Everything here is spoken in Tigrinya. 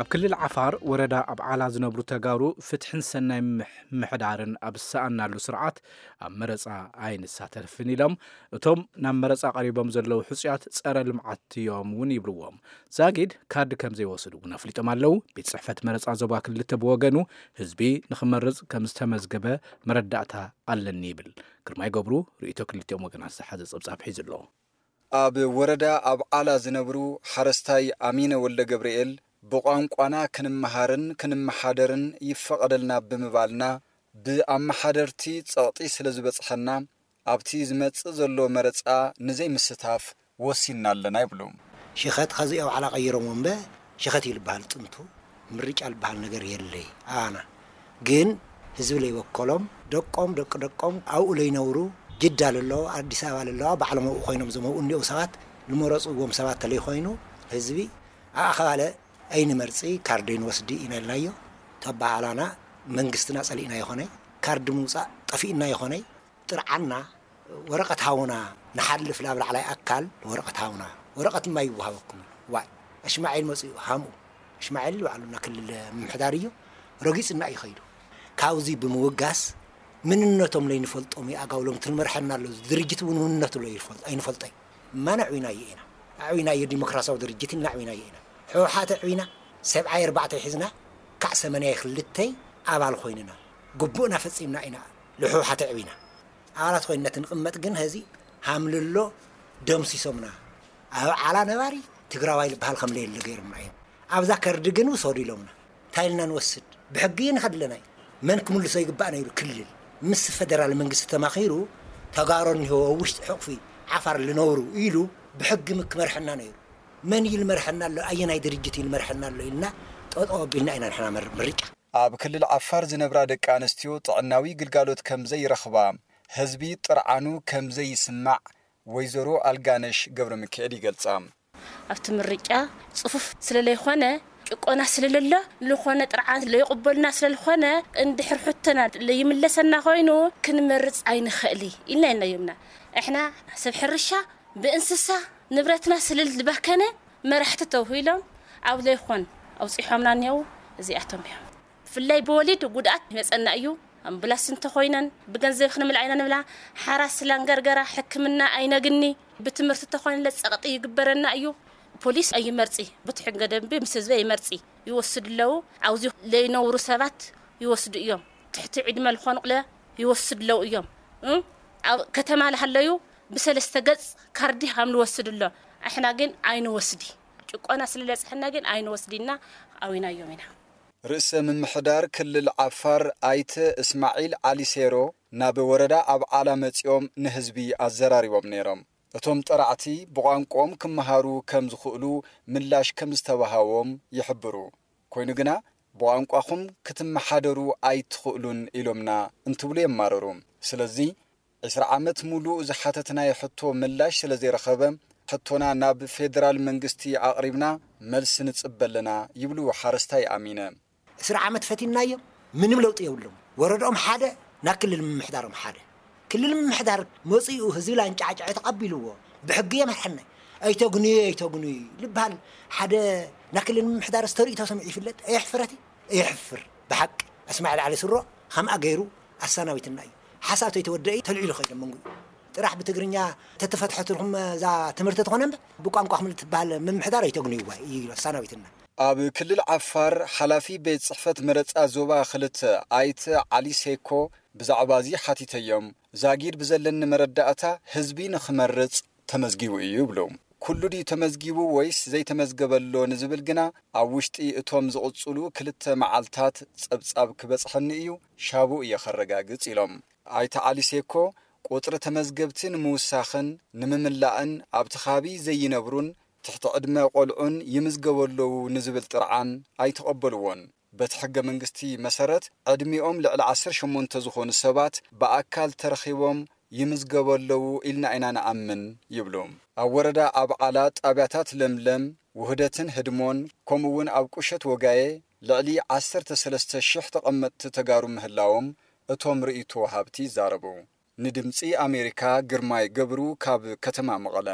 ኣብ ክልል ዓፋር ወረዳ ኣብ ዓላ ዝነብሩ ተጋሩ ፍትሕን ሰናይ ምሕ- ምሕዳርን ኣብ ዝሰኣናሉ ስርዓት ኣብ መረፃ ኣይንሳተፍን ኢሎም። እቶም ናብ መረፃ ቀሪቦም ዘለዉ ሕፁያት ፀረ ልምዓት እዮም እውን ይብልዎም። ዛጊድ ካርድ ከም ዘይወሰዱ እውን ኣፍሊጦም ኣለዉ። ቤት ፅሕፈት መረፃ ዞባ ክልተ ብወገኑ ህዝቢ ንኽመርፅ ከም ዝተመዝገበ መረዳእታ ኣለኒ ይብል። ግርማይ ገብሩ ርእይቶ ክልቲኦም ወገናት ዝሓዘ ፀብፃብ ሒዙ ኣሎ። ኣብ ወረዳ ኣብ ዓላ ዝነብሩ ሓረስታይ ኣሚነ ወልደ ገብርኤል ብቋንቋና ክንመሃርን ክንመሓደርን ይፈቐደልና ብምባልና ብኣመሓደርቲ ጸቕጢ ስለ ዝበጽሐና ኣብቲ ዝመጽእ ዘሎ መረጻ ንዘይምስታፍ ወሲንና ኣለና ይብሉ። ሽኸት ኸዚ ኣብ ዓላ ቀይሮም እምበ ሽኸት እዩ ዝበሃል ጥንቱ ምርጫ ዝበሃል ነገር የለይ ኣና ግን ህዝቢ ለይወከሎም ደቆም ደቂ ደቆም ኣብኡ ለይነብሩ ጅዳ ለለዋ ኣዲስ ኣበባ ለለዋ ባዕሎም ኣብኡ ኮይኖም ዝመብኡ እንዲኦም ሰባት ዝመረፅዎም ሰባት ተለይኮይኑ ህዝቢ ኣኣኸባለ ኣይንመርፂ ካርድ ኣይንወስዲ ኢና ኢልናዮ። ተበሃላና መንግስትና ፀሊእና ይኾነይ ካርድ ምውፃእ ጠፊእና ይኾነይ ጥርዓና ወረቐት ሃውና ንሓልፍ ናብ ላዕላይ ኣካል ወረቐት ሃውና ወረቐት ድማ ይወሃበኩም ዋይ እሽማዒል መፅኡ ሃምኡ እሽማዒል ባዕሉ እና ክልል ምምሕዳር እዩ ረጊፅና እዩ ኸይዱ ካብዚ ብምውጋስ ምንነቶም ለይንፈልጦም ይኣጋውሎም ትልመርሐና ኣሎ ድርጅት እውን ምንነቱ ለይፈልጥ ኣይንፈልጦይ ማን ኣዕዊናዮ ኢና ኣዕዊናዮ ዲሞክራሲያዊ ድርጅት ኢልና ኣዕዊናዮ ኢና ሕወሓት ኣዕዊና ሰብዓይ ኣርባዕተ ሒዝና ካዕ ሰመንያይ ክልተይ ኣባል ኮይንና ግቡእና ፈፂምና ኢና ልሕወሓት ኣዕዊና ኣባላት ኮይንና ትንቕመጥ ግን ሀዚ ሃምልሎ ደምሲሶምና ኣብ ዓላ ነባሪ ትግራዋይ ዝበሃል ከም ለየለ ገይሮምና እዮም ኣብዛ ከርዲ ግን ውሰዱ ኢሎምና እንታይ ኢልና ንወስድ ብሕጊ ንኸድለና እዩ መን ክምልሶ ይግባእ ነይሩ ክልል ምስ ፈደራል መንግስቲ ተማኺሩ ተጋሮ እኒሆ ኣብ ውሽጢ ሕቕፊ ዓፋር ልነብሩ ኢሉ ብሕጊ ምክመርሐና ነይሩ መን እዩ ልመርሐና ኣሎ ኣየናይ ድርጅት እዩ ልመርሐና ኣሎ ኢልና ጠጠው ኣቢልና ኢና ንሕና ምርጫ ኣብ ክልል ዓፋር ዝነብራ ደቂ ኣንስትዮ ጥዕናዊ ግልጋሎት ከም ዘይረኽባ ህዝቢ ጥርዓኑ ከም ዘይስማዕ ወይዘሮ ኣልጋነሽ ገብረ ሚካኤል ይገልጻ። ኣብቲ ምርጫ ጽፉፍ ስለለይኾነ ጭቆና ስለለሎ ዝኾነ ጥርዓን ለይቕበልና ስለልኾነ እንድሕር ሕቶና ለይምለሰና ኮይኑ ክንመርጽ ኣይንኽእል ኢልና ኢልናዮምና እሕና ሰብ ሕርሻ ብእንስሳ ንብረትና ስለልባከነ መራሕቲ ተውሂሎም ኣብ ዘይኾን ኣውፂሖምና እኒው እዚኣቶም እዮም ብፍላይ ብወሊድ ጉድኣት ይመፀና እዩ ኣምቡላንስ እንተኾይነን ብገንዘብ ክንምልኣ ኢና ንብላ ሓራስ ላንገርገራ ሕክምና ኣይነግኒ ብትምህርቲ ተኾይነ ጸቕጢ ይግበረና እዩ ፖሊስ ኣይመርፂ ብቲ ሕገ ደንቢ ምስ ህዝቢ ኣይመርፂ ይወስዱ ኣለዉ ኣብዚ ለይነውሩ ሰባት ይወስዱ እዮም ትሕቲ ዕድመ ዝኾኑ ቁለ ይወስዱ ኣለዉ እዮም ኣብ ከተማ ለሃለዩ ብሰለስተ ገጽ ካርዲ ሃም ንወስድ ኣሎ ኣሕና ግን ኣይንወስዲ ጭቆና ስለለጽሐና ግን ኣይንወስዲና ኣዊናዮም ኢና ርእሰ ምምሕዳር ክልል ዓፋር ኣይተ እስማዒል ዓሊ ሴሮ ናብ ወረዳ ኣብ ዓላ መጺኦም ንህዝቢ ኣዘራሪቦም ነይሮም። እቶም ጠራዕቲ ብቋንቋኦም ክመሃሩ ከም ዝኽእሉ ምላሽ ከም ዝተባሃዎም ይሕብሩ። ኮይኑ ግና ብቋንቋኹም ክትመሓደሩ ኣይትኽእሉን ኢሎምና እንትብሉ የማርሩ። ስለዚ ዕስራ ዓመት ሙሉእ ዝሓተትናዮ ሕቶ ምላሽ ስለዘይረኸበ ሕቶና ናብ ፌደራል መንግስቲ ኣቕሪብና መልሲ ንጽበ ኣለና ይብሉ ሓረስታይ ኣሚነ። ዕስራ ዓመት ፈቲናዮም ምንም ለውጢ የብሎም። ወረድኦም ሓደ ናብ ክልል ምምሕዳሮም ሓደ። ክልል ምምሕዳር መጺኡ ህዝቢ ላንጫዕጫዐ ተቐቢልዎ ብሕጊ የመርሐና ኣይተግንዩ ኣይተግንዩ ልበሃል ሓደ ናብ ክልል ምምሕዳር ዝተርእቶ ሰሚዑ ይፍለጥ ኣየሕፍረት ኣየሕፍር ብሓቂ እስማዒል ዓሊ ስሮ ከምኣ ገይሩ ኣሳናዊትና እዩ ሓሳብ ተይተወደአ እዩ ተልዒሉ ኸይደ መንጉ ጥራሕ ብትግርኛ ተተፈትሐትልኩም እዛ ትምህርቲ ትኾነ ብቋንቋ ክምል ትበሃል ምምሕዳር ኣይተግንይዋ እዩ ኣሳናዊትና ኣብ ክልል ዓፋር ሓላፊ ቤት ጽሕፈት መረጻ ዞባ ክልተ ኣይተ ዓሊ ሴኮ ብዛዕባ እዚ ሓቲተዮም። ዛጊድ ብዘለኒ መረዳእታ ህዝቢ ንኽመርጽ ተመዝጊቡ እዩ ይብሉ። ኩሉ ድዩ ተመዝጊቡ ወይስ ዘይተመዝገበ ኣሎ ንዝብል ግና ኣብ ውሽጢ እቶም ዝቕጽሉ ክልተ መዓልታት ጸብጻብ ክበጽሐኒ እዩ፣ ሻቡ እየ ከረጋግጽ ኢሎም። ኣይተ ዓሊ ሴኮ ቁጽሪ ተመዝገብቲ ንምውሳኽን ንምምላእን ኣብቲ ኻቢ ዘይነብሩን ትሕቲ ዕድመ ቆልዑን ይምዝገቡ ኣለዉ ንዝብል ጥርዓን ኣይተቐበልዎን። በቲ ሕገ መንግስቲ መሰረት ዕድሚኦም ልዕሊ ዓሰርተ ሸሞንተ ዝኾኑ ሰባት ብኣካል ተረኺቦም ይምዝገቡ ኣለዉ ኢልና ኢና ንኣምን ይብሉ። ኣብ ወረዳ ኣብዓላ ጣብያታት ለምለም፣ ውህደትን ህድሞን ከምኡ እውን ኣብ ቁሸት ወጋየ ልዕሊ ዓሰርተ ሰለስተ ሽሕ ተቐመጥቲ ተጋሩ ምህላዎም እቶም ርእይቶ ወሃብቲ ይዛረቡ። ንድምጺ ኣሜሪካ ግርማይ ገብሩ ካብ ከተማ መቐለ።